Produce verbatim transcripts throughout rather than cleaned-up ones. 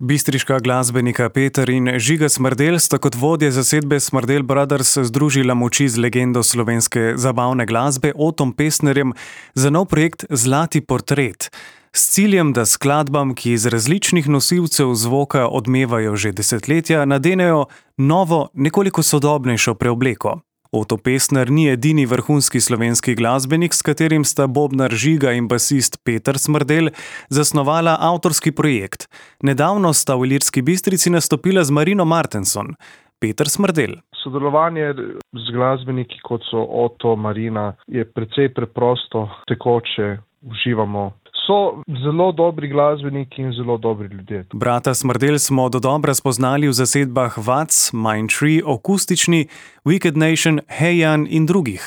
Bistriška glasbenika Peter in Žiga Smrdelj sta kot vodje zasedbe Smrdelj Brothers združila moči z legendo slovenske zabavne glasbe Otom Pestnerjem za nov projekt Zlati portret. S ciljem, da skladbam, ki iz različnih nosilcev zvoka odmevajo že desetletja, nadenejo novo, nekoliko sodobnejšo preobleko. Oto Pestner ni edini vrhunski slovenski glasbenik, s katerim sta bobnar Žiga in basist Peter Smrdelj zasnovala avtorski projekt. Nedavno sta v Ilirski Bistrici nastopila z Marino Martenson. Peter Smrdelj. Sodelovanje z glasbeniki, kot so Oto, Marina, je precej preprosto, tekoče, uživamo. So zelo dobri glasbeniki in zelo dobri ljudje. Brata Smrdelj smo dodobra spoznali v zasedbah Vac, Mindtree, Akustični, Wicked Nation, Hejan in drugih.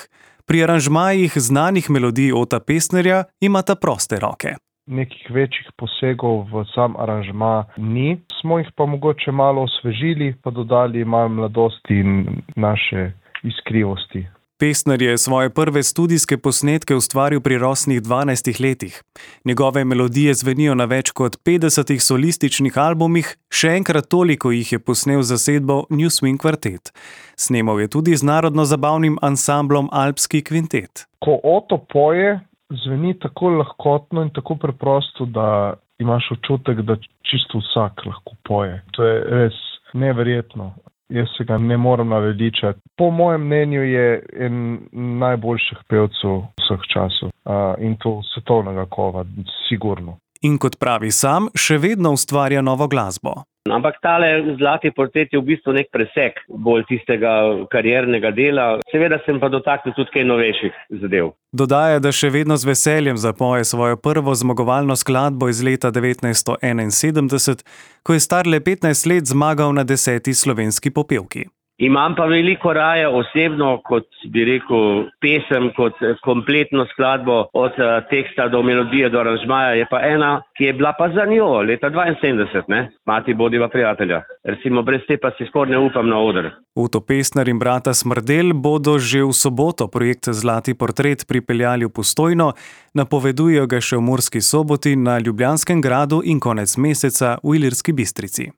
Pri aranžmajih znanih melodij Ota Pestnerja imata proste roke. Nekih večjih posegov v sam aranžma ni, smo jih pa mogoče malo osvežili, pa dodali malo mladosti in naše iskrivosti. Pestner je svoje prve studijske posnetke ustvaril pri rosnih dvanajstih letih. Njegove melodije zvenijo na več kot petdesetih solističnih albumih, še enkrat toliko jih je posnel zasedbo New Swing Quartet. Snemal je tudi z narodno-zabavnim ansamblom Alpski kvintet. Ko Oto poje, zveni tako lahkotno in tako preprosto, da imaš občutek, da čisto vsak lahko poje. To je res neverjetno. Jaz se ga ne morem naveličati. Po mojem mnenju je en najboljših pevcev vseh časov. Uh, in to svetovnega kova, sigurno. In kot pravi sam, še vedno ustvarja novo glasbo. Ampak tale Zlati portret je v bistvu nek presek bolj tistega kariernega dela. Seveda sem pa dotaknil tudi kaj novejših zadev. Dodaja, da še vedno z veseljem zapoje svojo prvo zmagovalno skladbo iz leta devetnajststo enainsedemdeset, ko je star le petnajst let zmagal na deseti slovenski popevki. Imam pa veliko raje osebno, kot bi rekel, pesem, kot kompletno skladbo od teksta do melodije do aranžmaja. Je pa ena, ki je bila pa za njo leta dvainsedemdeset, ne? Mati bodiva prijatelja. Recimo brez te pa si skoraj ne upam na oder. Oto Pestner in brata Smrdelj bodo že v soboto projekt Zlati portret pripeljali v Postojno, napovedujejo ga še v Murski Soboti, na Ljubljanskem gradu in konec meseca v Ilirski Bistrici.